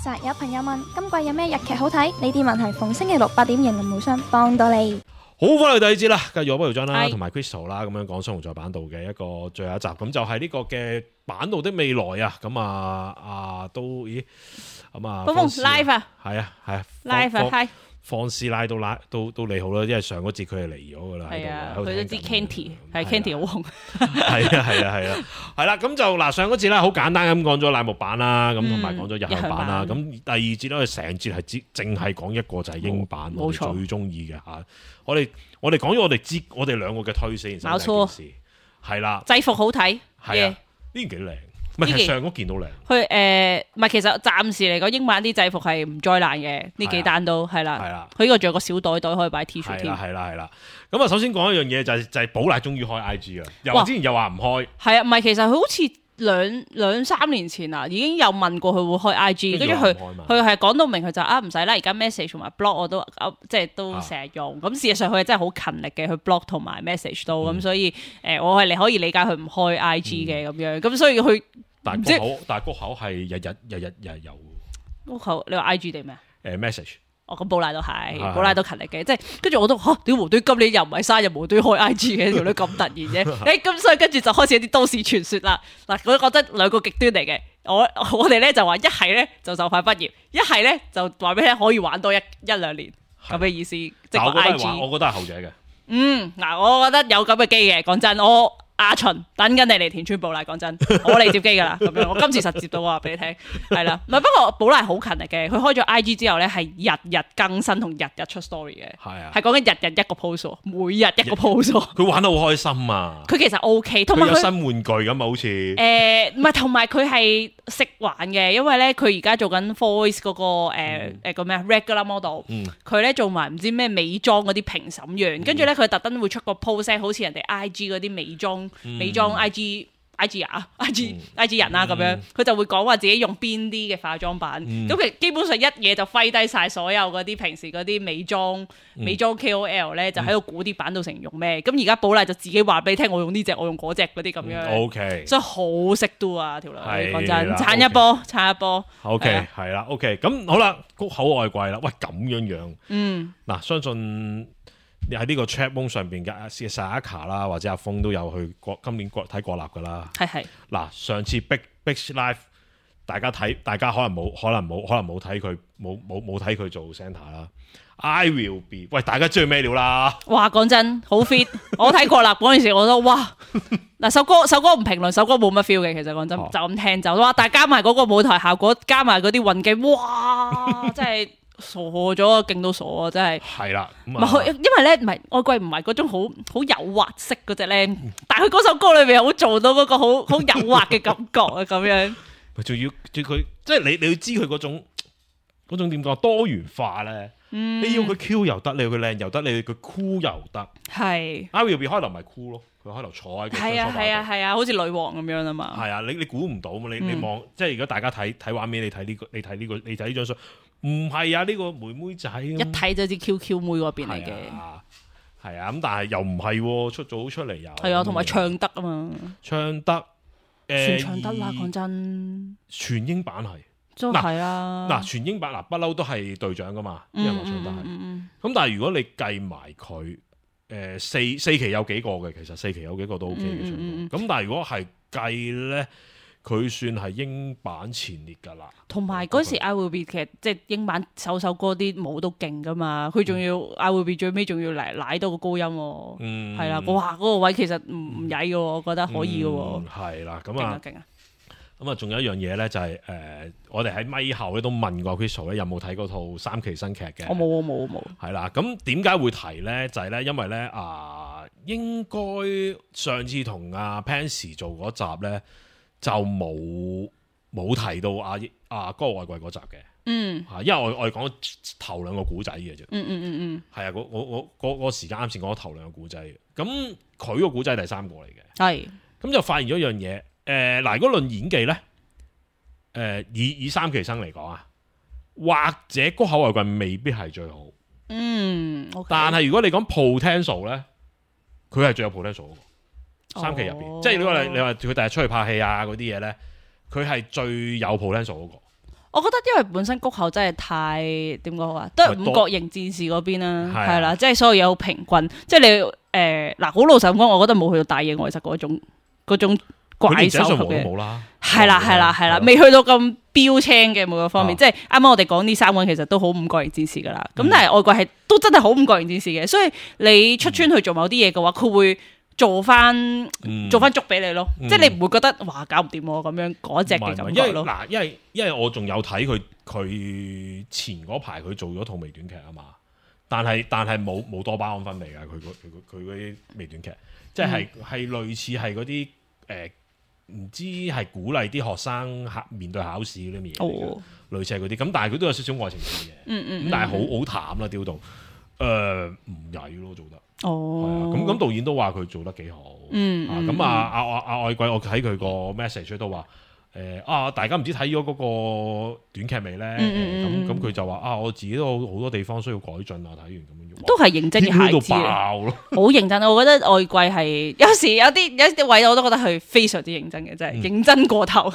實有朋友問今季有咩日劇好睇？呢啲問題逢星期六8點迎林無雙幫到你。好，翻嚟第二節啦，繼續我不如張啦，係同埋 Crystal 啦，咁樣講雙紅在版度嘅一個最後一集，咁就係呢個嘅版度的未來啊，咁都咦咁啊，峰 live 啊，係啊 live 啊，hi，放師奶都你好啦，因為上嗰節佢係嚟咗噶啦，係啊，喺度佢都知 Candy 係 Candy 好紅，係啦，咁就嗱上嗰節咧好簡單咁講咗乃木版啦，咁同埋講咗日向版啦，咁第二節咧成節係淨係講一個就係英版，我哋最中意嘅嚇，我哋講咗我哋兩個嘅推先，冇錯，係啦，制服好睇，係啊，呢件幾靚。唔係，其實上嗰件都靚。佢唔係，其實暫時嚟講，英版啲制服係唔災難嘅，呢幾單都係啦。係啦，佢呢個仲有個小袋可以擺 T 恤添。係啦。咁啊，首先講一樣嘢就係寶麗終於開 IG 啦，又之前又話唔開。係啊，唔係其實佢好似兩三年前啊，已經有問過佢會開 IG， 跟住佢係講到明佢就唔使啦，而家 message 同埋 blog 我都即係都成日用。咁事實上佢係真係好勤力嘅，去 blog 同埋 message 都咁，所以我係你可以理解佢唔開 IG 嘅咁樣。咁所以佢但係谷口係日日有。谷口你話 IG 定咩message。咁寶麗都係，寶麗都勤力嘅，即係跟住我都屌無端今年又唔係生日無端開 IG 嘅條女咁突然嘅，咁所以跟住就開始有啲都市傳說啦。嗱，我覺得兩個極端嚟嘅，我哋咧就話一係咧就快畢業，一係咧就話俾你聽可以玩多一兩年咁嘅意思，即係 IG。我覺得係後者嘅。嗱，我覺得有咁嘅機嘅，講真，阿秦等緊你嚟填穿寶麗，講真，我嚟接機噶啦，咁樣我今次實接到話俾你聽，係啦，唔係不過寶麗好勤力嘅，佢開咗 IG 之後咧係日日更新同日日出 story 嘅，係啊，係講緊日日一個 post，每日一個 post，佢玩得好開心啊！佢其實 OK， 同埋佢有新玩具咁啊，好似唔係，同埋佢係識玩嘅，因為咧佢而家做緊 voice 嗰個個咩 regular model，佢咧做埋唔知咩美妝嗰啲評審員，跟住咧佢特登會出個 post，好似人哋 IG 嗰啲美妝 IG 人啦咁樣，佢就會講話自己用邊啲嘅化妝品，咁其實基本上一嘢就揮低晒所有嗰啲平時嗰啲美妝 KOL 咧，就喺度估啲版到成用咩，咁而家寶麗就自己話俾你聽，我用呢隻，我用嗰隻嗰啲咁樣，OK，所以好識 do 啊條女，講真，撐一波，OK 係啦 OK， 咁好啦，谷口愛貴啦，喂咁樣，嗱相信。你喺呢個 chat room 上邊嘅Sayaka 啦，或者阿峰都有去今年睇國立噶啦。係。嗱，上次 Big Live， 大家可能冇睇佢冇睇佢做 centre 啦。I will be， 喂，大家知佢咩料啦？哇，講真，好 fit！ 我睇國立嗰陣時，我都哇，嗱首歌唔評論，首歌冇乜 feel 嘅，其實講真，就咁聽就哇，但係加埋嗰個舞台效果，加埋嗰啲運鏡，哇，真係〜傻咗，勁到傻啊！真係係啦，因為咧唔係愛貴唔係嗰種好誘惑式嗰隻咧，但係佢嗰首歌裏邊好做到嗰個好誘惑嘅感覺啊！咁樣，仲要佢即係你要知佢嗰種點講多元化咧，你要佢 Q 又得，你要佢靚又得，你要佢 cool 又得。係 I will be 開頭咪 cool 咯，佢開頭坐喺個係啊，好似女王咁樣啊嘛。係啊，你估唔到嘛？你望即係而家大家睇畫面，你睇呢張相。唔係啊！呢個妹妹仔一睇就知 QQ 妹嗰邊嚟嘅，係啊咁，但係又唔係出嚟又係啊，同埋唱得啊嘛，唱得全唱得啦，講真，全英版係都係啊，嗱全英版嗱不嬲都係隊長噶嘛，啲人話唱得係，咁但係如果你計埋佢四期有幾個嘅，其實4期有幾個都 OK 嘅唱歌，咁但係如果係計咧。佢算係英版前列㗎啦，同埋嗰時 I Will Be 其實即係英版首歌啲舞都勁㗎嘛，佢仲要 I Will Be 最尾仲要舐到個高音喎，係啦，哇嗰個位其實唔曳嘅喎，我覺得可以嘅喎，係啦，咁啊，咁啊，仲有一樣嘢咧就係我哋喺咪後咧都問過 Crystal 咧有冇睇嗰套3期新劇嘅，我冇，係啦，咁點解會提咧？就係咧因為咧應該上次同阿 Pansy 做嗰集咧。就冇提到嗰個外櫃嗰集嘅，因為我哋講頭兩個古仔嘅啫，係啊，嗰個時間啱先講頭兩個古仔嘅，咁佢個古仔係第三個嚟嘅，係，咁就發現咗一樣嘢，嗱，如果論演技咧，以3期生嚟講啊，或者谷口外櫃未必係最好，但係如果你講 potential 咧，佢係最有 potential 嘅。3期入邊，即係如果你話佢第日出去拍戲啊嗰啲嘢咧，佢係最有 potential 嗰個。我覺得因為本身谷口真係太點講啊，都係五角形戰士嗰邊啦，係啦，即係所有嘢好平均，即係你嗱好老實講，我覺得冇去到大野外實嗰種怪獸級嘅，係啦，未去到咁標青嘅每個方面，即係啱啱我哋講呢三個人其實都好五角形戰士噶啦，咁但係外國係都真係好五角形戰士嘅，所以你出村去做某啲嘢嘅話，佢會做翻足俾你咯，即係你唔會覺得哇搞唔掂咁樣嗰隻嘅感覺咯。因為我仲有睇佢前嗰排佢做咗套微短劇啊嘛，但係冇多巴胺分泌㗎，佢嗰啲微短劇，即係類似係嗰啲唔知係鼓勵啲學生面對考試嗰啲嘢，類似係嗰啲，咁但係佢都有少少愛情線嘅，咁但係好淡啦，雕到唔曳咯做得。咁導演都話佢做得幾好，咁愛貴我睇佢個 message 都話大家唔知睇咗嗰個短劇未咧？咁佢就話我自己都好多地方需要改進啊！睇完咁樣都係認真嘅孩子，好認真。我覺得愛貴係有時有啲位我都覺得佢非常之認真嘅，真係認真過頭。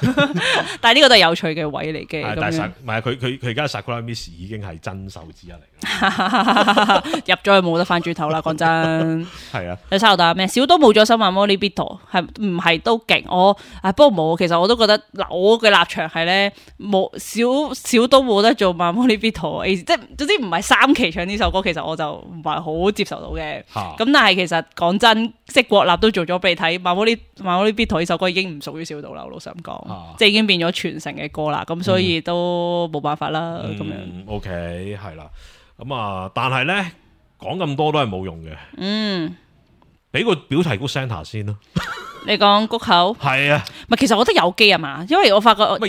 但係呢個都係有趣嘅位嚟嘅。但係唔係佢而家 Sakura Miss 已經係真手之一嚟，入咗去冇得翻轉頭啦！講真係啊。你收到咩？小島冇咗新漫魔呢 Bito 係唔係都勁？不過冇，其實我都覺得嗱，我嘅立場係咧冇小島冇得做漫魔呢 Bito， 即係總之唔係三期唱呢首歌，其實我就唔係好接受到嘅。咁但係其實講真，即係國立都做咗俾你睇，漫魔呢 Bito 呢首歌已經唔屬於小島啦，我老實咁講，即係已經變咗傳承嘅歌啦。咁所以都冇辦法啦。咁樣 OK 係啦。咁但係咧講咁多都係冇用嘅。俾個表題曲 Santa 先咯。你講谷口係啊，唔係其實我覺得有機啊嘛，因為我發覺好多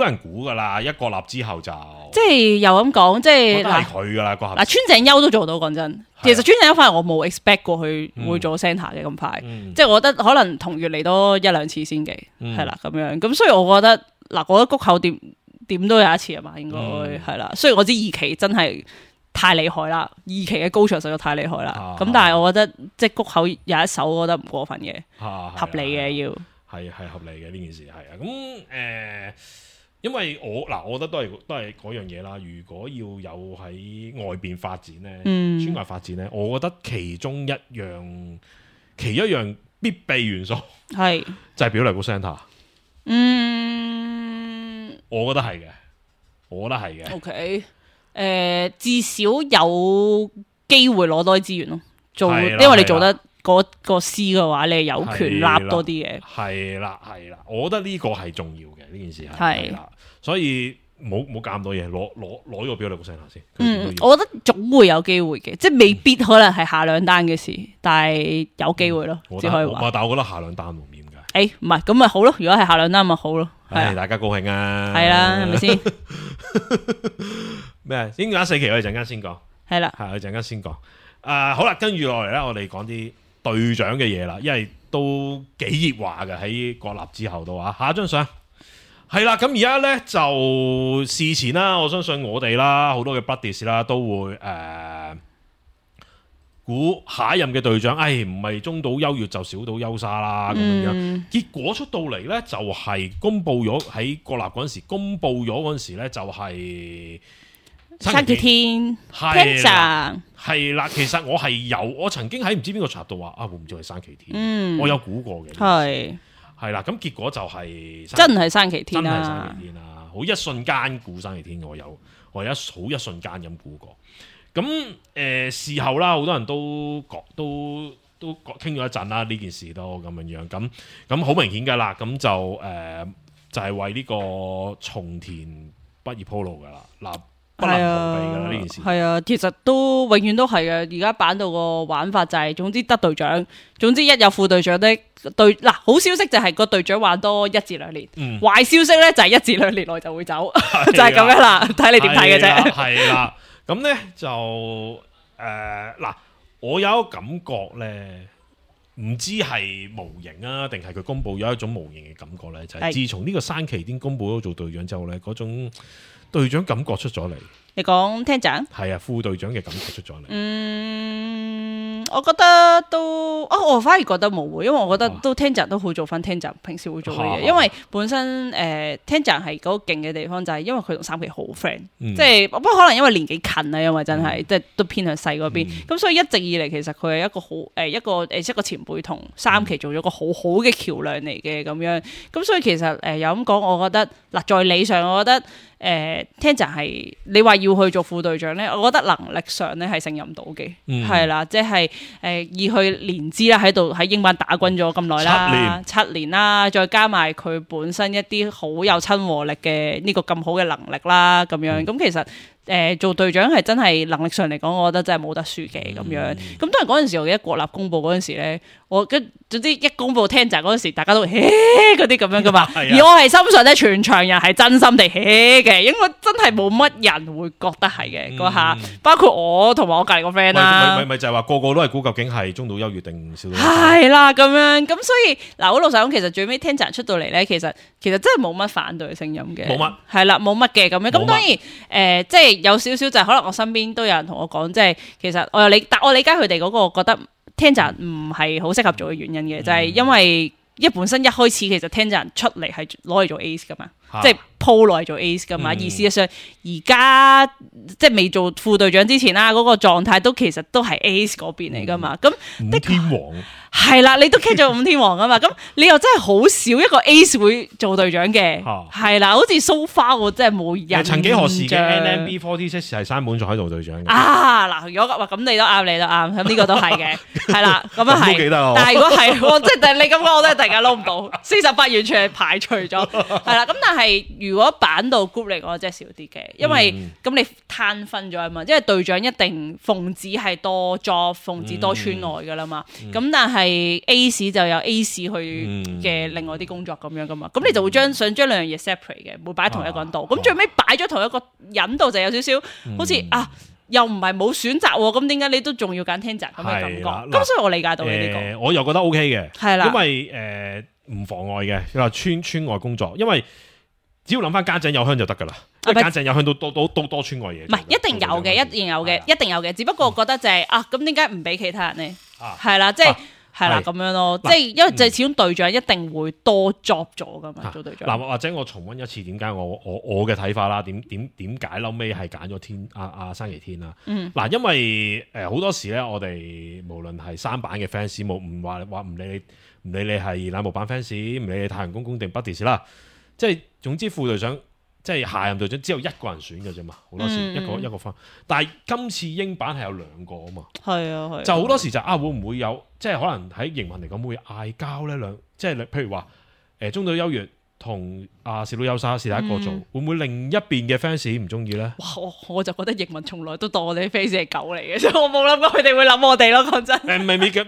人估噶啦，一國立之後就即係又咁講，即係係佢噶啦個嗱，川井優都做到，講真，其實川井優反而我冇 expect 過佢會做 Santa 嘅咁快，即係我覺得可能同月嚟多一兩次先嘅，係啦咁樣，咁所以我覺得嗱，我覺得谷口點都有一次啊嘛，應該係啦，雖然我知二期真係太厲害啦，二期嘅高潮實在太厲害啦。咁但係我覺得即係谷口有一首，我覺得唔過分嘅，合理嘅要係合理嘅呢件事係啊。咁因為我覺得都係嗰樣嘢啦。如果要有喺外邊發展咧，村外發展咧，我覺得其中一樣必備元素係就係表嚟個 Santa。我覺得係嘅。OK。至少有機會攞多啲資源咯，因為你做得嗰個詩嘅話，你有權立多啲嘅。係啦，我覺得呢個係重要嘅，呢件事係啦，所以冇搞咁多嘢，攞個表嚟個 Santa 先。我覺得總會有機會嘅，即係未必可能係下兩單嘅事，但係有機會咯，只可以話。但係我覺得下兩單唔點解？唔係咁咪好咯，如果係下兩單咪好咯，大家高興啊！係啦，係咪先？咩？應該4期我哋陣間先講，係啦，我哋陣間先講。好啦，跟住落嚟咧，我哋講啲隊長嘅嘢啦，因為都幾熱話嘅喺國立之後都話。下一張相係啦，咁而家咧就事前啦，我相信我哋啦，好多嘅 buddies 啦，都會估下一任嘅隊長，唔係中島優越就小島優沙啦咁樣。結果出到嚟咧，就係公佈咗喺國立嗰陣時，公佈咗嗰陣時咧，就係山崎天係啦。其實我曾經喺唔知邊個插度話會唔會係山崎天，我有估過嘅。係啦，咁結果就係真係山崎天啦，好一瞬間估山崎天，我好一瞬間咁估過。咁事後啦，好多人都傾咗一陣啦，呢件事都咁樣咁好明顯噶啦，咁就係為呢個松田畢業鋪路噶啦，嗱不能逃避噶啦呢件事。係啊，其實都永遠都係嘅。而家版到個玩法就係，總之得隊長，總之一有副隊長的嗱，好消息就係個隊長玩多1至2年，壞消息咧就係1至2年內就會走，就係咁樣啦，睇你點睇嘅啫。係啦。咁咧就嗱，我有一個感覺咧，唔知係模型啊，定係佢公佈有一種模型嘅感覺咧，就係自從呢個山崎天公佈咗做隊長之後咧，嗰種隊長感覺出咗嚟。你講廳長？係啊，副隊長嘅感覺出咗嚟。我覺得都我反而覺得冇喎，因為我覺得都 Tenza 都好做翻 Tenza 平時會做嘅嘢，因為本身Tenza 係嗰個勁嘅地方就係因為佢同三期好 friend，即係不過可能因為年紀近啊，因為真係即係都偏向細嗰邊，咁所以一直以嚟其實佢係一個好一個前輩同三期做咗個好好嘅橋樑嚟嘅咁樣，咁所以其實有咁講，我覺得嗱在理上，我覺得。Tenza 係你話要去做副隊長咧，我覺得能力上咧係勝任到嘅，係啦，即係以佢年資啦喺度喺英版打滾咗咁耐啦，7年啦，再加埋佢本身一啲好有親和力嘅呢個咁好嘅能力啦，咁樣咁其實。做隊長係真係能力上嚟講，我覺得真係冇得輸嘅咁樣。咁當然嗰陣時，我記得國立公佈嗰陣時咧，總之一公佈 Tenza 嗰陣時，大家都嗰啲咁樣噶嘛。而我係深信咧，全場人係真心地嘅，因為真係冇乜人會覺得係嘅嗰下，包括我同埋我隔離個 friend 啦。咪就係話個個都係估究竟係中島優越定小島優沙。係啦，咁樣咁所以嗱，好老實講，其實最尾 Tenza 出到嚟咧，其實真係冇乜反對聲音嘅。冇乜。係啦，冇乜嘅咁樣。咁當然即係。有少少就係可能我身邊都有人同我講，即係其實我理解佢哋嗰個覺得 Tenza 唔係好適合做嘅原因嘅，就係因為本身一開始其實 Tenza 出嚟係攞嚟做 ace 噶嘛，即係鋪落嚟做 ace 噶嘛，而事實上而家即係未做副隊長之前啦，嗰個狀態都其實都係 ace 嗰邊嚟噶嘛，咁五天王係啦，你都 catch 咗五天王啊嘛，咁你又真係好少一個 ace 會做隊長嘅，係啦，好似 so far 我真係冇印象。曾幾何時嘅 NMB46 係山本彩做隊長嘅啊嗱，如果話咁你都啱，咁呢個都係嘅，係啦，咁啊係，但係如果係即係你咁講，我都係突然間撈唔到48完全係排除咗，係啦，咁但係如果版到 group 嚟講，真係少啲嘅，因為咁你攤分咗啊嘛，因為隊長一定奉旨係多 job， 奉旨多村外噶啦嘛，咁但係 Ace 就有 Ace 去嘅另外啲工作咁樣噶嘛，咁你就會想將兩樣嘢 separate 嘅，唔會擺喺同一個人度，咁最尾擺咗同一個人度就有少少好似又唔係冇選擇喎，咁點解你都仲要揀 Tenza 咁嘅感覺？咁所以我理解到你呢個，我又覺得 OK 嘅，係啦，因為唔妨礙嘅，你話村外工作，因為只要諗翻家陣有香就得噶啦，家陣有香都多村外嘢，唔係一定有嘅，一定有嘅，只不過覺得就係咁點解唔俾其他人咧？係啦，即係。係啦，咁樣咯，即係因為就係始終隊長一定會多 job 咗噶嘛，做隊長。嗱，或者我重溫一次點解我嘅睇法啦，點解後尾係揀咗山崎天啦？嗱，因為好多時咧，我哋無論係三版嘅 fans，唔話唔理你係乃木坂 fans，唔理你太陽公公定 Buddies 啦，即係總之副隊長。即係下任隊長只有一個人選嘅啫嘛，好多時一個分。但係今次英版係有兩個啊嘛，係啊，就好多時就會唔會有即係可能喺營運嚟講會嗌交咧即係譬如話中島優越同小島優沙是第一個做，會唔會另一邊嘅 fans 唔中意咧？我就覺得營運從來都當我哋啲 fans 係狗嚟嘅，所以我冇諗過佢哋會諗我哋咯。講真，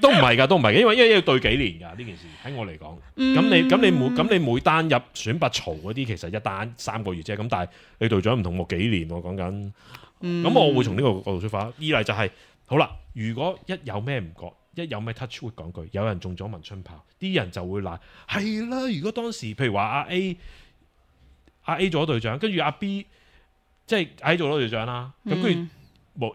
都唔係嘅，因為要對幾年㗎呢件事喺我嚟講。咁你每單入選拔槽嗰啲，其實一單3個月啫。咁但係你隊長唔同我幾年喎講緊。咁我會從呢個角度出發。二嚟就係好啦，如果一有咩唔覺。一有咩 touch wood 講句，有人中咗文春炮，啲人就會賴係啦。如果當時譬如話阿 A 做咗隊長，跟住阿 B 即係 A 做咗隊長啦，咁跟住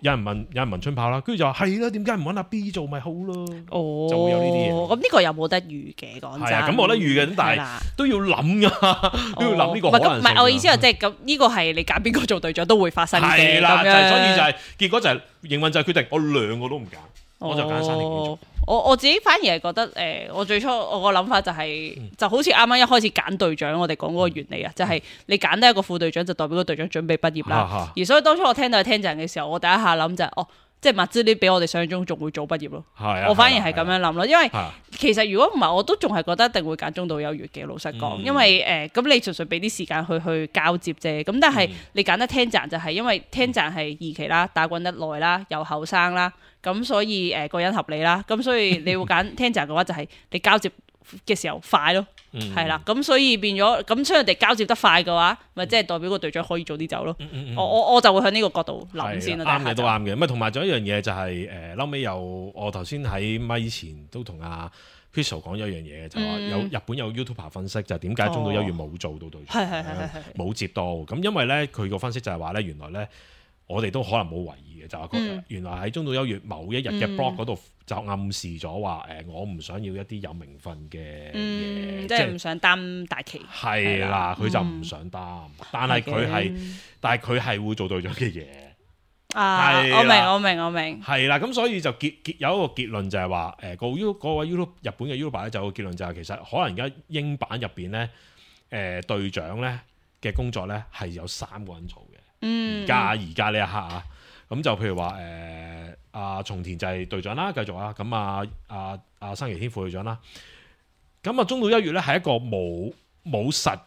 有人問春炮啦，跟住就話係啦，點解唔揾阿 B 做咪好咯？就會有呢啲嘢。咁呢個又冇得預嘅，講真。係咁冇得預嘅，但係都要諗噶，都要諗呢個可能性。唔係我意思係即係咁呢個係你揀邊個做隊長都會發生嘅。係啦，所以就係結果就係營運就係決定我兩個都唔揀。我就揀山崎天。我自己反而係覺得我最初我個諗法就係、就好似啱啱一開始揀隊長，我哋講嗰個原理啊，就係你揀得一個副隊長，就代表個隊長準備畢業啦。而所以當初我聽到Tenza嘅時候，我第一下諗就係即係麥之呢比我哋想象中仲會早畢業咯。我反而係咁樣諗咯，因為其實如果唔係，我都仲係覺得一定會揀中島優越嘅。老實講，因為咁你純粹俾啲時間去交接啫。咁但係你揀得Tenza就係因為Tenza係2期啦，打滾得耐啦，又後生啦。咁所以個人合理啦，咁所以你會揀Tenza嘅話就係你交接嘅時候快咯，係啦，咁所以變咗咁，所以人哋交接得快嘅話，咪即係代表個隊長可以早啲走咯。我就會向呢個角度諗先啦。啱嘅都啱嘅，咁同埋仲有一樣嘢就係後尾有我頭先喺咪以前都同阿 Crystal 講咗一樣嘢，就話有日本有 YouTuber 分析就係點解中島優越冇做到隊長，冇接到咁，因為咧佢個分析就係話咧原來咧。我哋都可能冇懷疑嘅，就係佢原來喺中島優越某一日嘅 blog 嗰度就暗示咗話我唔想要一啲有名分嘅嘢，即係唔想擔大旗。係啦，佢就唔想擔，但係佢係會做隊長嘅嘢。我明。係啦，咁所以就有一個結論就係話嗰位日本嘅 YouTuber 咧，就有個結論就係其實可能而家英版入邊咧隊長咧嘅工作咧係有3個人做嘅。而家呢一刻啊，咁就譬如話阿松田就係隊長啦，繼續啊，咁阿山崎天副隊長啦，咁中島優越咧係一個冇實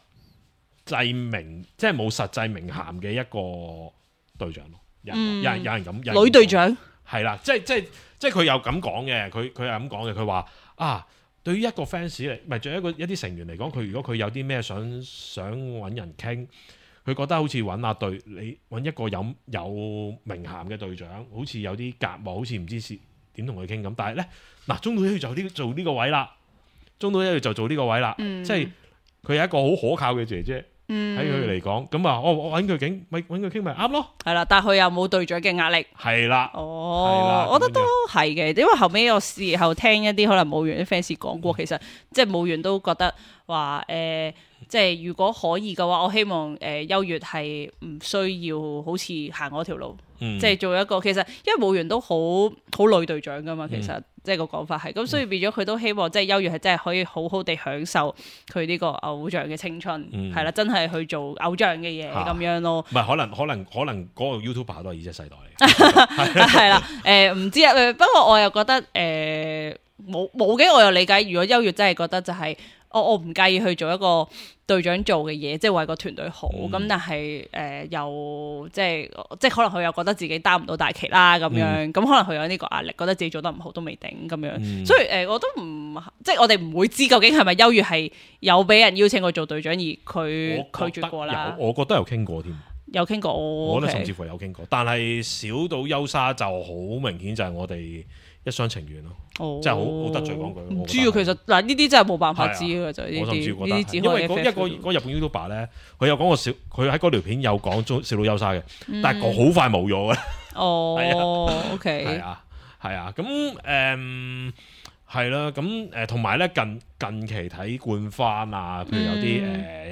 際名，即係冇實際名銜嘅一個隊長咯。有人咁女隊長係啦，即係佢又咁講嘅，佢係咁講嘅，佢話對於一個 fans 嚟，唔係對於一啲成員嚟講，佢如果佢有啲咩想揾人傾。佢覺得好似你揾一個有名銜嘅隊長，好似有啲隔膜，好似唔知點同佢傾咁。但係咧，中島優越就做呢個位啦，即係佢係一個好可靠嘅姐姐，喺佢嚟講，咁我揾佢傾咪啱咯。係啦，但係佢又冇隊長嘅壓力。係啦，我覺得都係嘅，因為後尾有時候聽一啲可能舞員啲 fans 講過，其實即係舞員都覺得話即係如果可以嘅話，我希望優越係唔需要好似行嗰條路，即係做一個其實因為舞員都好女隊長噶嘛，其實即係個講法係咁，所以變咗佢都希望即係優越係真係可以好好地享受佢呢個偶像嘅青春，係啦，真係去做偶像嘅嘢咁樣咯。唔係可能嗰個 YouTuber 都係Z世代嚟，係啦，唔知啊，不過我又覺得冇嘅，我又理解，如果優越真係覺得就係。我唔介意去做一個隊長做嘅嘢，即係為個團隊好。咁但係又即係可能佢又覺得自己擔唔到大旗啦咁樣。咁可能佢有呢個壓力，覺得自己做得唔好都未定咁樣。所以我都唔即係我哋唔會知究竟係咪優越係有俾人邀請過做隊長而佢拒絕過啦。我覺得有傾過添，有傾過。我覺得甚至乎有傾過，但係小島優沙就好明顯就係我哋一廂情願咯。即係好得罪講句。唔知啊，其實嗱呢啲真係冇辦法知嘅就呢啲。因為嗰日本 YouTuber 咧，佢有講過佢喺嗰條片有講小島優沙嘅，但係好快冇咗嘅。OK。係啊，咁係啦，咁同埋咧近期睇冠番啊，譬如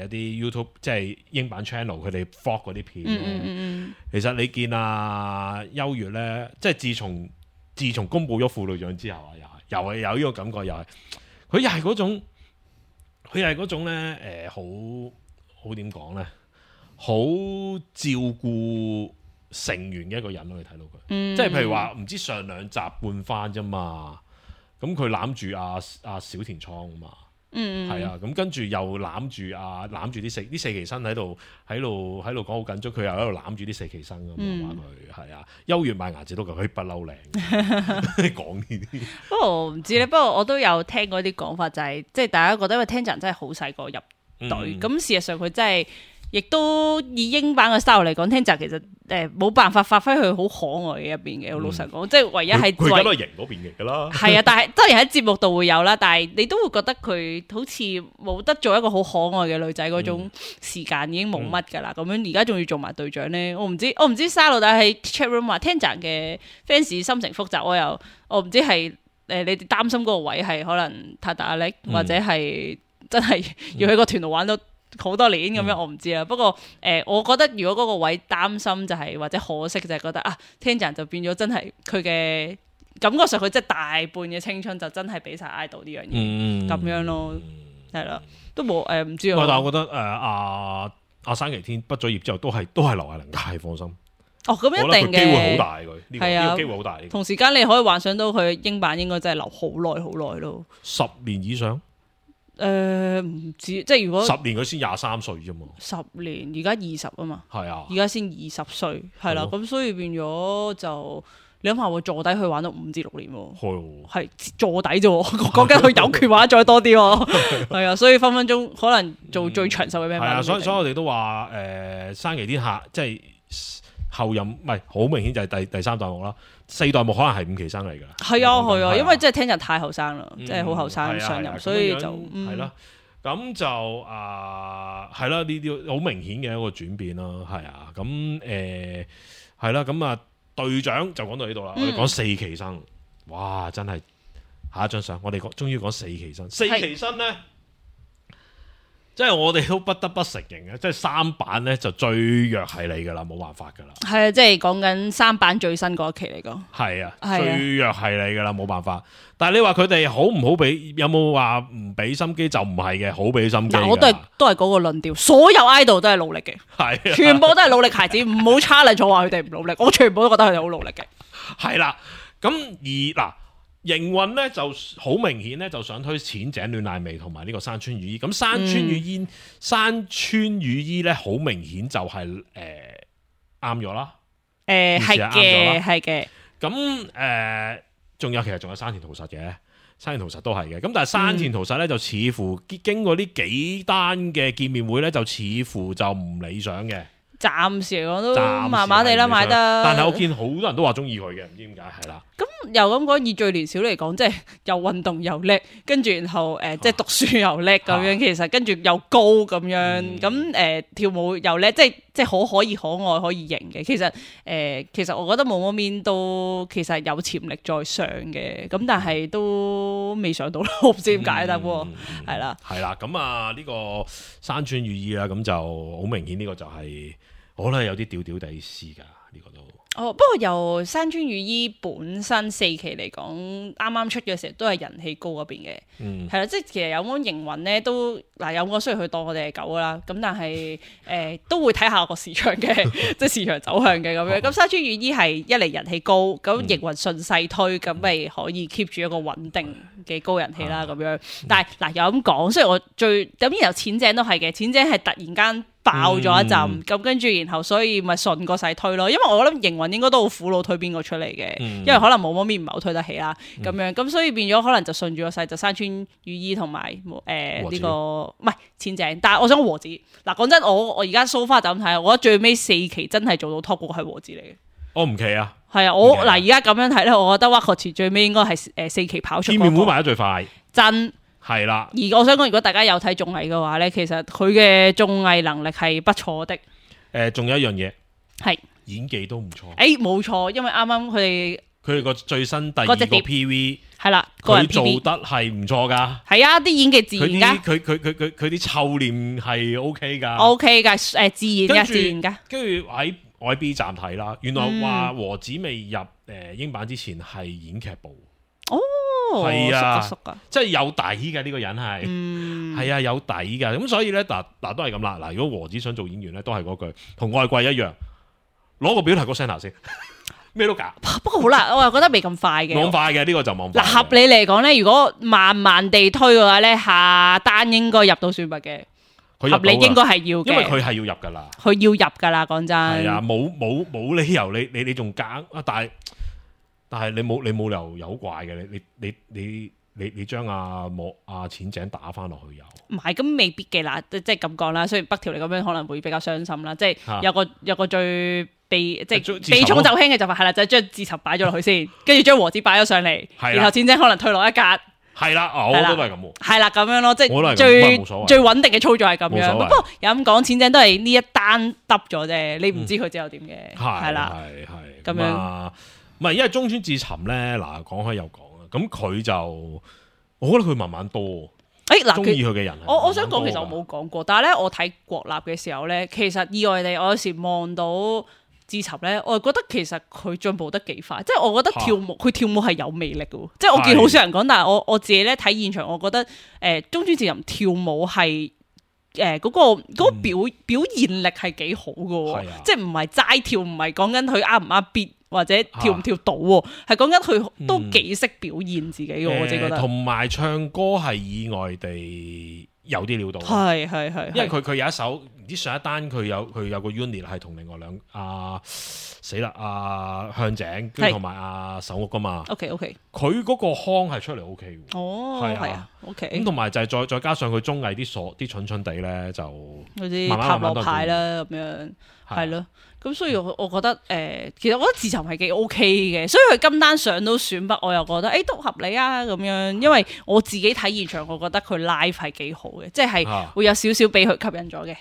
有啲 YouTube 即係英版 channel 佢哋 vlog 嗰啲片咧，其實你見優越咧，即係自從公布咗副隊長之後啊，又係有呢個感覺，佢又係嗰種咧，好點講咧，好照顧成員嘅一個人咯，你睇到佢，即係譬如話唔知上2集半番啫嘛，咁佢攬住阿小田倉啊嘛。係啊，咁跟住又攬住啲四期生喺度講好緊張，佢又喺度攬住啲四期生咁話佢係啊，優越賣牙齒都佢不嬲靚，講呢啲。不過我唔知咧，不過我都有聽過啲講法，就係即係大家覺得因為 Tenjan 真係好細個入隊，咁事實上佢真係。亦都以英版嘅 style 嚟講，Tenjan其實冇辦法發揮佢好可愛嘅一邊嘅。我老實講，即係唯一係佢而家都係型嗰邊嘅啦。係啊，但係當然喺節目度會有啦，但係你都會覺得佢好似冇得做一個好可愛嘅女仔嗰種時間已經冇乜㗎啦。咁樣而家仲要做埋隊長咧，我唔知沙老大喺 chat room 話 Tenjan 嘅 fans 心情複雜，我唔知係你哋擔心嗰個位係可能太大壓力，或者係真係要喺個團度玩到好多年咁樣，我唔知啦。不過我覺得如果嗰個位擔心就係或者可惜就係覺得Tenjan 就變咗真係佢嘅感覺上佢即係大半嘅青春就真係俾晒 idol 呢樣嘢咁樣咯，係啦，都冇唔知啊。但係我覺得阿山崎天畢咗業之後都係劉亞玲嘅，放心。咁一定嘅，機會好大佢呢個機會好大。同時間你可以幻想到佢英版應該真係留好耐好耐咯，10年以上。唔知，即係如果10年佢先23歲啫嘛，10年而家20啊嘛，係啊，而家先20歲，係啦，咁所以變咗就你諗下喎，坐底去玩到5至6年喎，係坐底啫喎，講緊佢有權玩再多啲喎，係啊，所以分分鐘可能做最長壽嘅咩？係啊，所以我哋都話山崎天下即係後任唔係好明顯就係第3代目啦。4代目可能係5期生嚟㗎，係啊，因為真係Tenjan太後生啦，即係好後生上任，所以就係啦。咁就係啦，呢啲好明顯嘅一個轉變咯，係啊。咁係啦，咁啊隊長就講到呢度啦。我哋講四期生，哇，真係下一張相，我哋終於講四期生。四期生咧，即係我哋都不得不承認嘅，即係三版咧就最弱係你噶啦，冇辦法噶啦。係啊，即係講緊三版最新嗰一期嚟講。係啊，最弱係你噶啦，冇辦法。但係你話佢哋好唔好俾？有冇話唔俾心機？就唔係嘅，好俾心機。我都係嗰個論調，所有 idol 都係努力嘅，係全部都係努力孩子，唔好 challenge 我話佢哋唔努力，我全部都覺得佢哋好努力嘅。係啦，咁而嗱，營運咧就好明顯咧，就想推淺井戀乃未同埋呢個山川裕衣。咁山川裕衣咧，好明顯就係啱咗啦。係嘅。咁仲有其實仲有山田桃實嘅，山田桃實都係嘅。咁但係山田桃實咧就似乎經過呢幾單嘅見面會咧，就似乎就唔理想嘅。暫時嚟講都麻麻地啦，買得。但係我見好多人都話中意佢嘅，唔知點解係啦。咁又咁講，以最年少嚟講，即係又運動又叻，跟住然後即係讀書又叻咁樣，其實跟住又高咁樣，咁跳舞又叻，即係可以可愛可以型嘅。其實我覺得毛毛面都其實有潛力再上嘅，咁但係都未上到咯，我唔知點解得喎，係啦。係啦，咁啊呢個山川裕衣啦，咁就好明顯呢個就係我覺得有啲吊吊地絲㗎，呢個都。不過由山川裕衣本身四期嚟講，啱啱出嘅時候都係人氣高嗰邊嘅，係啦，即係其實有冇營運咧都嗱，有冇雖然佢當我哋係狗啦，咁但係都會睇下個市場嘅，即係市場走向嘅咁樣。咁山川裕衣係一嚟人氣高，咁營運順勢推，咁咪可以 keep 住一個穩定嘅高人氣啦咁樣。但係嗱又咁講，雖然我咁然後淺井都係嘅，淺井係突然間爆咗一陣，咁跟住然後所以咪順個勢推咯，因為我諗營運應該都好苦惱推邊個出嚟嘅，因為可能毛毛面唔係好推得起啦，咁樣咁所以變咗可能就順住個勢就山川裕衣同埋呢個唔係淺井，但係我想和子嗱講真，我而家 so far 就咁睇，我覺得最尾四期真係做到 top 嗰個係和子嚟嘅，我唔奇啊，係啊，我嗱而家咁樣睇咧，我覺得 WAKOCHI最尾應該係四期跑出見面會賣得最快，真。係啦，而我想講，如果大家有睇綜藝嘅話咧，其實佢嘅綜藝能力係不錯的。仲有一樣嘢係演技都唔錯。冇錯，因為啱啱佢哋個最新第二個 PV 係啦，佢做得係唔錯噶。係啊，啲演技自然噶。佢啲臭臉係 OK 噶。OK 噶，自然噶。跟住我喺 B 站睇啦，原來話和子未入英版之前係演劇部。係啊，即係有底嘅呢個人係，係啊有底嘅，咁所以咧嗱都係咁啦。嗱，如果和子想做演員咧，都係嗰句同愛貴一樣，攞個表提個 center 先，咩都搞。不過好啦，我又覺得未咁快嘅，冇咁快嘅呢個就冇。嗱，合理嚟講咧，如果慢慢地推嘅話咧，下單應該入到選拔嘅，合理應該係要嘅，因為佢係要入噶啦，佢要入噶啦，講真。係啊，冇理由你仲夾啊，但係你冇理由有怪嘅，你將阿淺井打翻落去又唔係咁未必嘅啦，即係咁講啦。雖然北條嚟咁樣可能會比較傷心啦，即係有個最避重就輕嘅就係啦，就係將自尋擺咗落去先，跟住將和子擺咗上嚟，然後淺井可能退落一格。係啦，我都係咁喎。係啦，咁樣咯，即係最穩定嘅操作係咁樣。不過有咁講，淺井都係呢一單揼咗啫，你唔知佢之後點嘅。係啦，係咁樣。唔係，因為中村智尋咧，嗱講開又講啊，咁佢就，我覺得佢慢慢多，嗱，中意佢嘅人慢慢。我想講，其實我冇講過，但係咧，我睇國立嘅時候咧，其實意外地，我有時望到智尋咧，我覺得其實佢進步得幾快，即係我覺得佢跳舞係有魅力嘅，即係我見好少人講，但係我自己咧睇現場，我覺得中村智尋跳舞係嗰個表現力係幾好嘅，即係唔係齋跳，唔係講緊佢啱唔啱 beat。或者跳唔跳到喎，係講緊佢都幾識表現自己嘅，我自己覺得。同埋唱歌係意外地有啲料到。係，因為佢有一首唔知上一單佢有個 unit 係同另外死啦向井跟住同埋手屋噶嘛。OK，佢嗰個腔係出嚟 OK 嘅。哦，係啊 ，OK。咁同埋就係再加上佢綜藝啲蠢蠢地咧，就嗰啲塔羅牌啦咁樣，係咯。咁所以我覺得其實我覺得智尋係幾 OK 嘅，所以佢今單上到選拔，我又覺得都合理啊咁樣，因為我自己睇現場，我覺得佢 live 係幾好嘅，即係會有少少俾佢吸引咗嘅，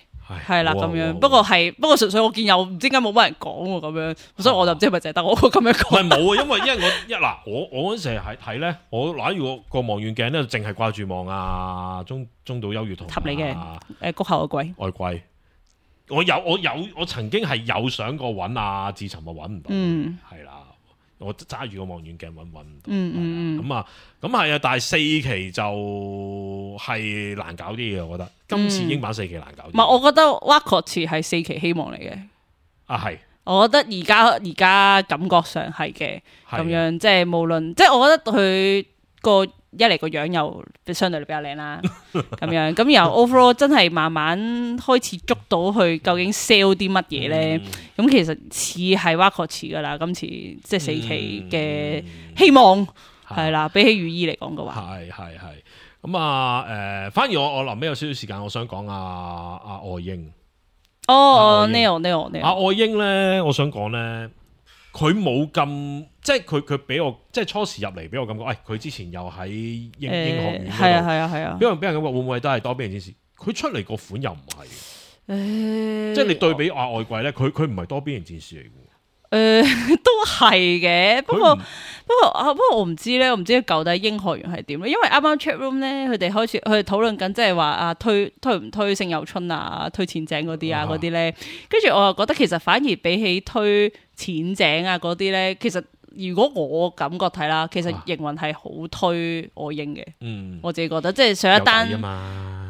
係啦咁樣。不過純粹我見有唔知點解冇乜人講喎咁樣，所以我就唔知係咪淨係得我咁樣講。唔係冇啊，因為我嗰陣時係睇咧，我攞住個望遠鏡咧，淨係掛住望啊中島優月同合理嘅谷口嘅鬼外貴。我曾經係有想過揾阿志尋，我揾唔到，係啦。我揸住個望遠鏡揾唔到，咁係啊，但係4期就係難搞啲嘅，我覺得今次英版4期難搞啲。唔係，我覺得 Wacol 係4期希望嚟嘅。係，我覺得而家感覺上係嘅，咁樣即係無論即係我覺得佢個一嚟個樣又相對嚟比較靚啦，咁樣咁然後 overall 真係慢慢開始捉到佢究竟 sell 啲乜嘢咧，咁其實似係 Wacol 噶啦，今次即係4期嘅希望係啦，比起雨衣嚟講嘅話，係咁啊反而我臨尾有少少時間，我想講阿愛英Neil 阿愛英咧，我想講咧。佢冇咁，即係佢俾我，即係初時入嚟俾我感覺，佢之前又喺英學院嗰度，係啊，俾人感覺會唔會都係多邊形戰士？佢出嚟個款又唔係，即係你對比外貴咧，佢唔係多邊形戰士嚟嘅。都係嘅，不過我唔知咧，我唔知舊底英學院係點咧，因為啱啱 chat room 咧，佢哋討論緊，即係話推唔推聖有春啊，推淺井嗰啲啊嗰啲咧，跟住我又覺得其實反而比起推淺井啊嗰啲咧，其實如果我感覺睇啦，其實營運係好推愛英嘅，我自己覺得即係上一單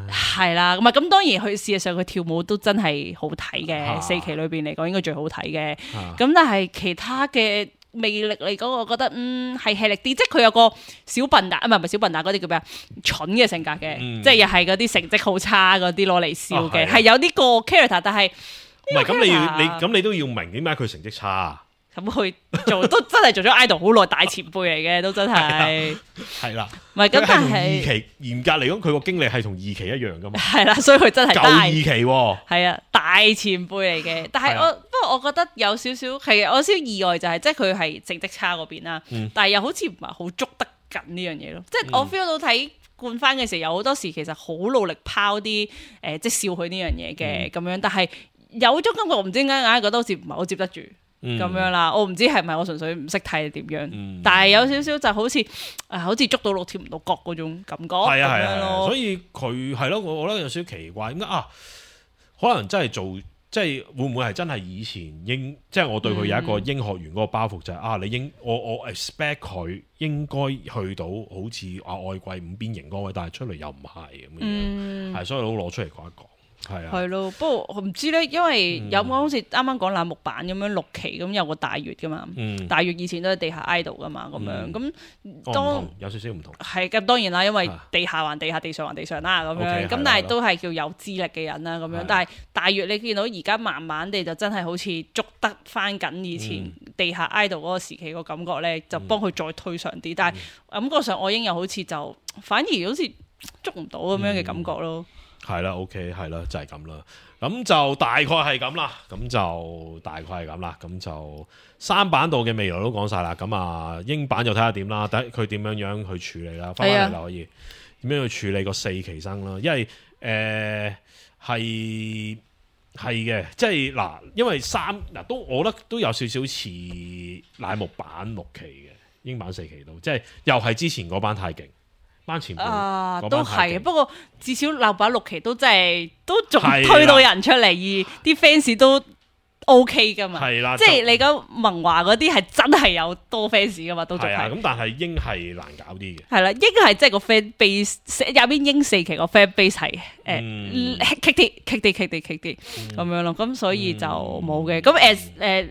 係啦，咁當然佢事實上佢跳舞都真係好睇嘅，4期裏邊嚟講應該最好睇嘅。咁但係其他嘅魅力嚟講，我覺得係吃力啲，即係佢有個小笨蛋，唔係小笨蛋嗰啲叫咩啊？蠢嘅性格嘅，即係又係嗰啲成績好差嗰啲攞嚟笑嘅，係有呢個 character，但係唔係咁你都要明點解佢成績差。咁佢都真係做咗 idol 好耐，大前輩嚟嘅，都真係係啦。唔係咁，但係2期嚴格嚟講，佢個經歷係同2期一樣噶嘛。係啦，所以佢真係舊2期喎。係啊，大前輩嚟嘅。但係不過我覺得有少少係我有少少意外，就係即係佢係成績差嗰邊啦。但係又好似唔係好捉得緊呢樣嘢咯。即係我 feel 到睇冠番嘅時候，有好多時其實好努力拋啲即係笑佢呢樣嘢嘅咁樣，但係有種感覺，我唔知點解硬係覺得好似唔係好接得住。咁樣啦，我唔知係咪我純粹唔識睇點樣，但係有少少就好似捉到鹿跳唔到角嗰種感覺。係啊，所以佢係咯，我覺得有少少奇怪，點解可能真係即係會唔會係真係以前即係我對佢有一個英學院嗰個包袱就係我 expect 佢應該去到好似外貴5邊形嗰位，但係出嚟又唔係咁樣，係所以都攞出嚟講一講。係咯，不過我唔知咧，因為有冇好似啱啱講欄目版咁樣6期咁有個大月噶嘛，大月以前都係地下 idol 噶嘛，咁樣咁當有少少唔同。係咁當然啦，因為地下還地下，地上還地上啦，咁樣咁但係都係叫有資歷嘅人啦，咁樣。但係大月你見到而家慢慢地就真係好似捉得翻緊以前地下 idol 嗰個時期個感覺咧，就幫佢再推上啲。但係感覺上愛英又好似就反而好似捉唔到咁樣嘅感覺咯。係啦 ，OK， 係啦，就係咁啦。咁就大概係咁啦。咁就3版度嘅未來都講晒啦。咁英版就睇下點啦，睇佢點樣去處理啦。翻返嚟啦，可以點樣去處理個4期生啦？因為係嘅，即係嗱，因為都我覺得都有少少似乃木版6期嘅英版4期度，即係又係之前嗰班太勁。班前輩都係，不過至少鬧版6期都真係都仲推到人出嚟，而啲 fans 都 OK 噶嘛。係啦，即係你講萌華嗰啲係真係有多 fans 噶嘛，都仲係。咁但係英係難搞啲嘅。係啦，英係即係個 fan base 入邊英4期個 fan base 係棘啲咁樣咯。咁所以就冇嘅。咁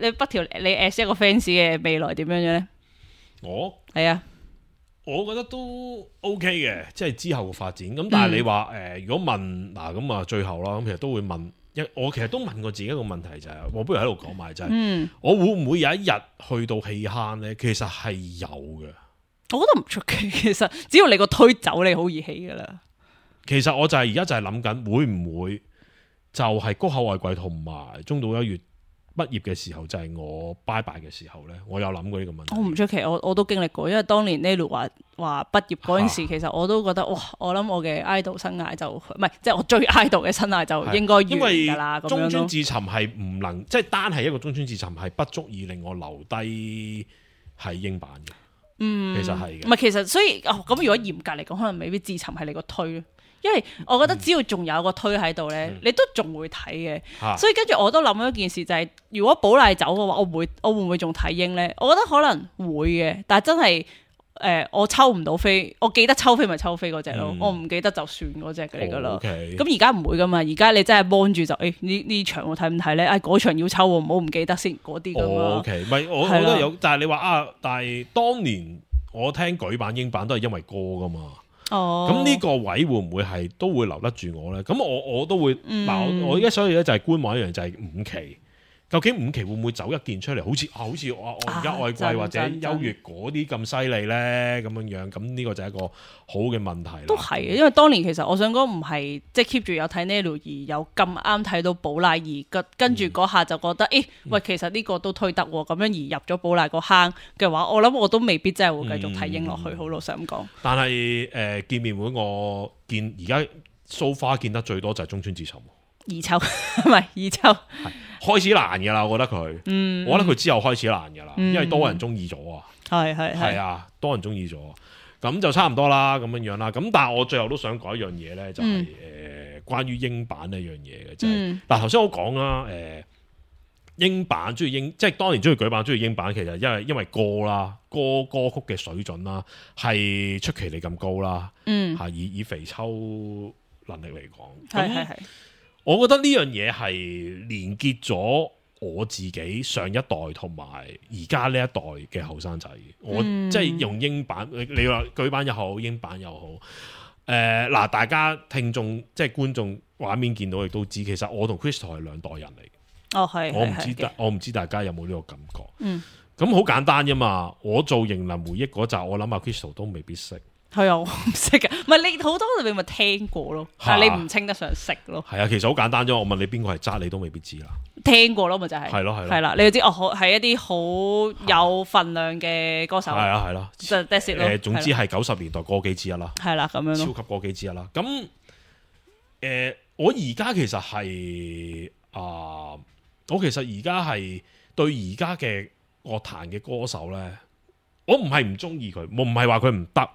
你北條你 as 一個 fans 嘅未來點樣樣咧？係啊。我覺得都 OK 嘅，即係之後嘅發展。咁但係你話如果問咁最後啦，咁其實都會問我其實都問過自己一個問題就係，我不如喺度講埋就係，我會唔會有一日去到棄坑咧？其實係有嘅。我覺得唔出奇，其實只要你個推走，你好易起噶啦。其實我就係而家就係諗緊，會唔會就係谷口愛貴同埋中島一月畢業嘅時候就係我拜拜嘅時候咧，我有諗過呢個問題。我唔出奇，我都經歷過，因為當年 Nelu 話畢業嗰陣時，其實我都覺得哇，我諗我嘅 idol 生涯就唔係，即係我追 idol 嘅生涯就應該完㗎啦。咁樣咯。中村自尋係唔能，即係單係一個中村自尋係不足以令我留低喺英版嘅。其實係嘅。唔係，其實所以咁如果嚴格嚟講，可能未必自尋係你個推。因為我覺得只要仲有個推喺度咧，你都仲會睇嘅。所以跟住我都諗咗一件事，就係如果寶麗走嘅話，我會唔會仲睇英咧？我覺得可能會嘅，但係真係我抽唔到飛，我記得抽飛咪抽飛嗰隻咯，我唔記得就算嗰隻嚟噶啦。咁而家唔會噶嘛，而家你真係幫住就呢場我睇唔睇咧？嗰場要抽喎，唔好唔記得先嗰啲咁咯。唔係我覺得有，但係你話但係當年我聽舉版英版都係因為歌噶嘛。咁呢個位會唔會係都會留得住我咧？咁我都會我而家所以咧就係觀望一樣，就係5期，究竟5期會唔會走一件出嚟？好似我而家愛貴或者優越嗰啲咁犀利咧咁樣，咁呢個就係一個好嘅問題啦。都係嘅，因為當年其實我想講唔係即係 keep 住有睇 Nelu 而有咁啱睇到寶麗而跟住嗰下就覺得喂，其實呢個都推得喎，咁樣而入咗寶麗個坑嘅話，我諗我都未必真係會繼續睇英落去，好老實咁講。但係見面會我見而家 so far 見得最多就係中村自尋。二秋唔係二秋，開始難噶啦，我覺得佢，我覺得佢之後開始難噶啦，因為多人中意咗啊，係啊，多人中意咗，咁就差唔多啦，咁樣啦，咁但係我最後都想講一樣嘢咧，就係關於英版呢樣嘢嘅，就係嗱頭先我講啦，英版中意即係當年中意舉版中意英版，其實因為歌啦，歌曲嘅水準啦，係出奇地咁高啦，係以肥秋能力嚟講，係。我覺得呢樣嘢係連結咗我自己上一代同埋而家呢一代嘅後生仔，我即係用英版，你話舉版又好，英版又好，嗱，大家聽眾即係觀眾畫面見到亦都知，其實我同 Crystal 係兩代人嚟。我唔知大家有冇呢個感覺。咁好簡單啫嘛，我做迎林回憶嗰集，我諗阿 Crystal 都未必識。係啊，我唔識噶，唔係你好多你咪聽過咯，但係你唔稱得上識咯。係啊，其實好簡單啫，我問你邊個係渣，你都未必知啦。聽過咯，咪就係。係咯，係啦，你要知係一啲好有份量嘅歌手。係啊，係咯，就 that's it 咯。總之係90年代歌姬之一啦。係啦，咁樣咯。超級歌姬之一啦。咁我而家其實係我其實而家係對而家嘅樂壇嘅歌手咧，我唔係唔中意佢，我唔係話佢唔得。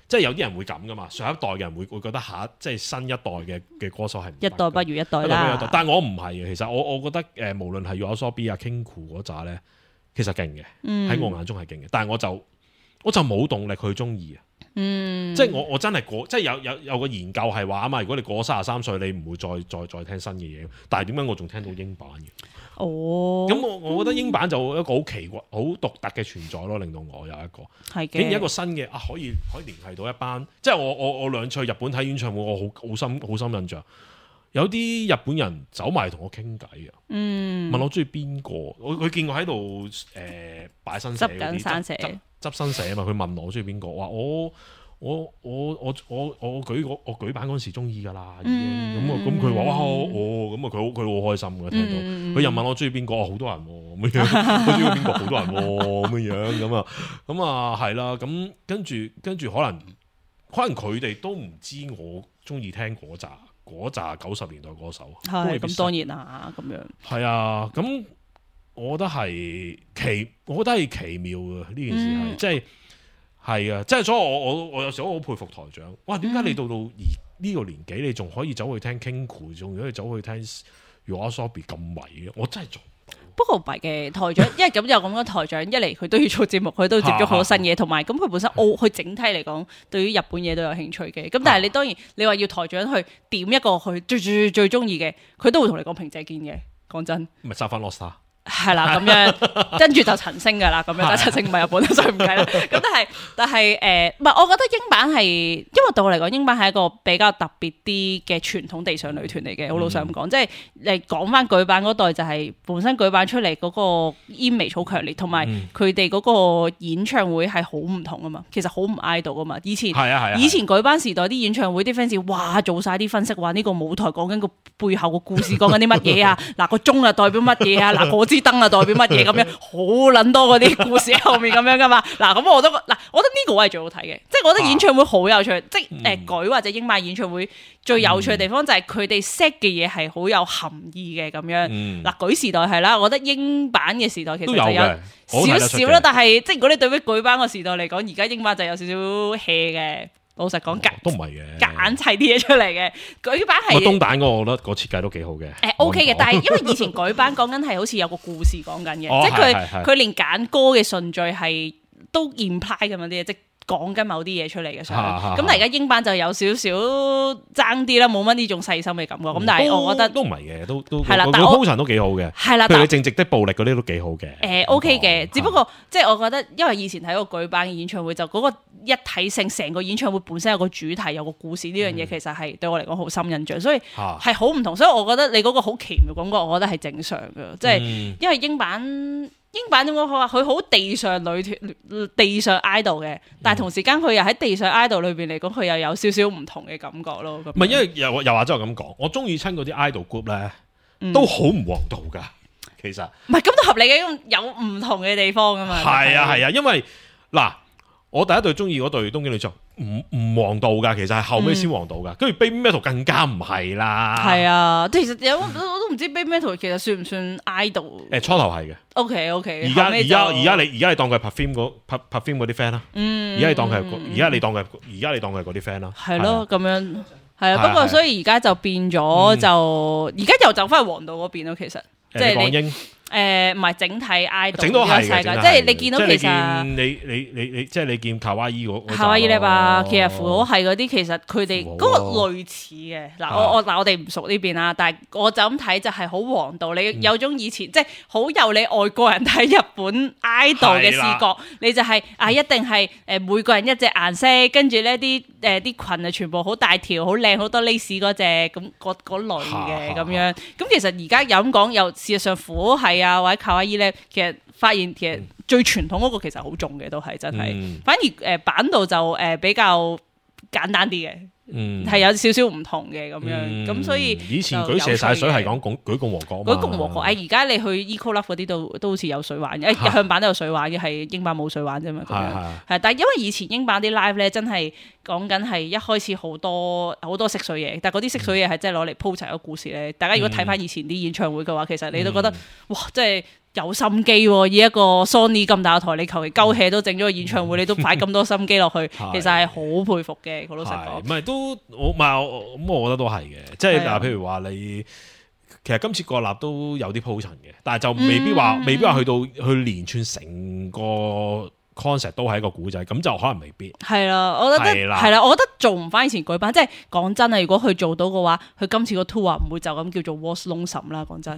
即係有啲人會咁噶嘛，上一代嘅人會覺得即係新一代嘅歌手係一代不如一代啦。但係我唔係嘅，其實我覺得無論係 YOASOBI 啊 Kinku 嗰扎咧，其實勁嘅，喺我眼中係勁嘅。但係我就冇動力去中意啊。即係我真係即係有個研究係話啊嘛，如果你過33歲，你唔會再聽新嘅嘢。但係點解我仲聽到英版嘅？咁我覺得英版就一個好奇怪、好獨特嘅存在咯，令到我有一個竟然一個新嘅可以聯繫到一班，即係我兩次去日本睇演唱會，我好深印象。有啲日本人走埋同我傾偈啊，問我中意邊個，佢見我喺度擺新寫嗰啲執新寫啊嘛，佢問我中意邊個，話我舉版嗰陣時中意噶啦，已經咁佢話哇咁佢好開心嘅，聽到佢又問我中意邊個，好多人咁樣，我中意邊個好多人咁樣咁啊係啦，咁跟住可能佢哋都唔知我中意聽嗰扎90年代歌手，係咁當然啦，咁樣係啊，咁我覺得係奇妙嘅呢件事係即係。係啊，即係所以我有時候好佩服台長。哇，點解你到呢個年紀，你仲可以走去聽 Kinku， 仲可以走去聽 YOASOBI 咁迷嘅？我真係做唔到。不過唔係嘅台長，因為咁又咁樣台長，一嚟佢都要做節目，佢都接觸好多新嘢，同埋咁佢本身佢整體嚟講，對於日本嘢都有興趣嘅。咁但係你當然你話要台長去點一個佢最中意嘅，佢都會同你講平井堅嘅。講真，咪收翻 Lost。係啦，咁樣跟住就陳星噶啦，咁樣但陳星唔係日本，所以唔計啦。咁但係唔係，我覺得英版係，因為對我嚟講，英版係一個比較特別啲嘅傳統地上女團嚟嘅。好老實咁講，即係你講翻舉版嗰代就係本身舉版出嚟嗰個 image 好強烈，同埋佢哋嗰個演唱會係好唔同啊嘛。其實好唔 idol 噶嘛。以前舉版時代啲演唱會啲 fans 哇做晒啲分析，話呢個舞台講緊個背後個故事，講緊啲乜嘢啊？嗱個鐘啊代表乜嘢啊？嗱我知支燈啊代表乜嘢咁樣，好撚多嗰啲故事喺後面咁樣噶嘛。嗱咁我覺得呢個位係最好睇嘅，即係我覺得演唱會好有趣，即係舉或者英版演唱會最有趣嘅地方就係佢哋 set 嘅嘢係好有含義嘅咁樣。嗱舉時代係啦，我覺得英版嘅時代其實就有少少啦，但係即係如果你對比舉版個時代嚟講，而家英版就有少少 hea 嘅。老實講，都唔係嘅，夾硬砌啲嘢出嚟嘅。舉版係東版嗰個，我覺得個設計都幾好嘅。OK 嘅，但係因為以前舉版講緊係好似有個故事講緊嘅，即係佢連揀歌嘅順序係都 imply 咁樣啲嘢，即係講緊某啲嘢出嚟嘅想。咁但係而家英版就有少少爭啲啦，冇乜呢種細心嘅感覺。咁但係我覺得都唔係嘅，都係啦，但係鋪陳都幾好嘅。係啦，譬如你正直的暴力嗰啲都幾好嘅。OK 嘅，只不過即係我覺得，因為以前睇過舉版嘅演唱會，就嗰個一體性，成個演唱會本身有個主題，有個故事呢樣嘢，其實係對我嚟講好深印象，所以係好唔同。所以我覺得你嗰個好奇妙感覺，我覺得係正常嘅，即係因為英版點講好啊？佢好地上女團、地上 idol 嘅，但係同時間佢又喺地上 idol 裏邊嚟講，佢又有少少唔同嘅感覺咯。唔係因為又或者我咁講，我中意親嗰啲 idol group 咧，都好唔王道㗎。其實唔係咁都合理嘅，有唔同嘅地方㗎嘛。係啊，因為嗱。我第一隊中意嗰隊東京女將唔王道㗎，其實係後尾先王道㗎。跟住 Baby Metal 更加唔係啦。係啊，其實我都唔知 Baby Metal 其實算唔算 idol？ 初頭係嘅。OK。而家你當佢係 Perfume 嗰啲 friend 啦。而家你當佢係嗰啲 friend 啦。係咯，咁樣係啊。不過所以而家就變咗就而家又走翻去王道嗰邊咯。其實即係你。唔係整體 idol 整到係嘅，即係你見到其實你即係你見卡哇伊卡哇伊咧吧，其實符號係嗰啲，其實佢哋嗰個類似嘅。嗱我哋唔熟呢邊啦，但係我就咁睇就係好王道。你有種以前即係好有你外國人睇日本 idol 嘅視覺，你就係一定係每個人一隻顏色，跟住呢啲裙啊全部好大條、好靚、好多 lace 嗰隻咁嗰類嘅咁樣。咁其實而家有咁講，又事實上符號係或者卡哇伊咧，其實發現其實最傳統嗰個其實好重嘅，都係真係。反而版度就比較簡單啲嘅，係有少少唔同嘅咁樣。咁所以以前舉射晒水係講舉共和國嘛。舉共和國而家你去 Eco Love 嗰啲都好似有水玩嘅，日向版都有水玩嘅，係英版冇水玩啫嘛。係，但係因為以前英版啲 live 咧，真係講緊係一開始好多識水嘢，但係嗰啲識水嘢係真係攞嚟鋪齊個故事咧。大家如果睇翻以前啲演唱會嘅話，其實你都覺得哇，真係有心機喎！以一個 Sony 咁大個台，你求其鳩 hea 都整咗個演唱會，你都擺咁多心機落去，其實係好佩服嘅。好老實講，唔係都我覺得都係嘅。即係譬如話你其實今次國立都有啲鋪陳嘅，但係就未必話去連串成個 concept 都係一個古仔，咁就可能未必係啦。我覺得係啦，我覺得做唔翻以前舉辦，即係講真啊！如果佢做到嘅話，佢今次個 tour 唔會就咁叫做 Was Lonesome 啦。講真，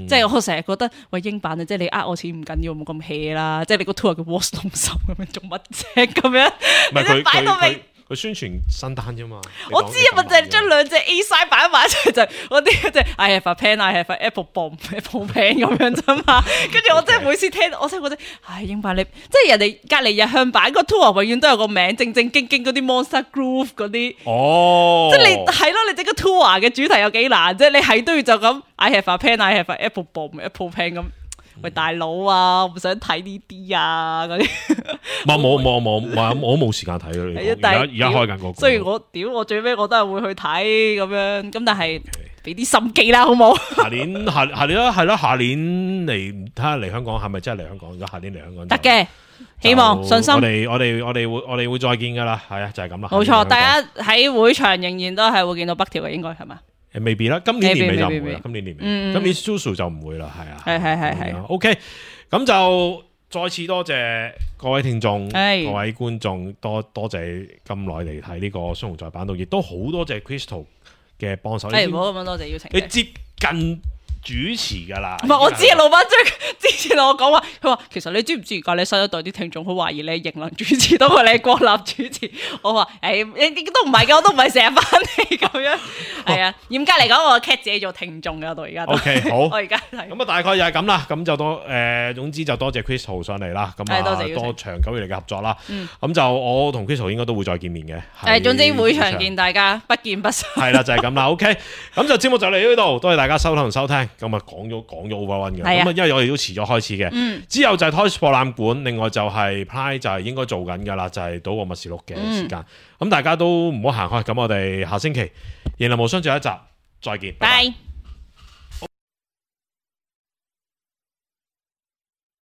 即係我成日覺得喂英版啊，即係你我錢唔緊要，冇咁 hea 啦。即係你個 tour 叫 Was Lonesome 咁樣做乜啫？咁樣你都擺到明。佢宣傳新單啫嘛，我知啊，咪就係將兩隻 A side 擺埋一齊，就嗰啲即係 I have a pen, I have a apple bomb，apple pen 咁樣啫嘛。跟住我真係每次聽，我真係覺得，英版你即係人哋隔離日向版個 tour 永遠都有個名，正正經經嗰啲 Monster Groove 嗰啲，即係你係咯，你整個 tour 嘅主題有幾難啫？你係都要就咁 I have a pen, I have a apple bomb，apple pen 咁。喂，大佬啊，我唔想睇呢啲啊，嗰啲我冇時間睇咯。而家開緊個，雖然我最尾我都係會去睇咁樣，咁但係俾啲心機啦，好冇？下年啦，係咯，下年嚟睇下嚟香港係咪真係嚟香港？如果下年嚟香港得嘅，希望信心。我哋會再見噶啦，係啊，就係咁啦。冇錯，大家喺會場仍然都係會見到北條嘅，應該係嘛？未必啦，今年年尾就唔會啦。今年年尾，今年 Susu 就唔會啦，係啊。係。OK， 咁就再次多謝各位聽眾、各位觀眾，多謝咁耐嚟睇呢個雙雄在版度，亦都好多謝 Crystal 嘅幫手。唔好咁樣多謝邀請。你接近主持噶啦，唔係我知啊，老闆之前同我講話，佢話其實你知唔知而家你新一代啲聽眾好懷疑你係型能主持多過你係國立主持，我話都唔係嘅，我都唔係成日翻嚟咁樣，係啊，嚴格嚟講，我 cat 自己做聽眾嘅，到而家都。OK， 好，我而家係咁啊，大概又係咁啦。咁就總之就多謝 Crystal 上嚟啦。咁啊，多長久以嚟嘅合作啦。咁就我同 Crystal 應該都會再見面嘅。總之會場見大家，不見不散。係啦，就係咁啦。OK，咁就節目就嚟呢度，多謝大家收睇同收聽。咁啊，講咗 Overrun 嘅。咁啊，因為我哋都遲咗開始嘅。之後就係 Toys 博覽館，另外就係 Pride 就係應該做緊㗎啦，就係賭博默示錄嘅時間。咁大家都唔好行開。咁我哋下星期《贏林無雙》最後一集再見。拜拜。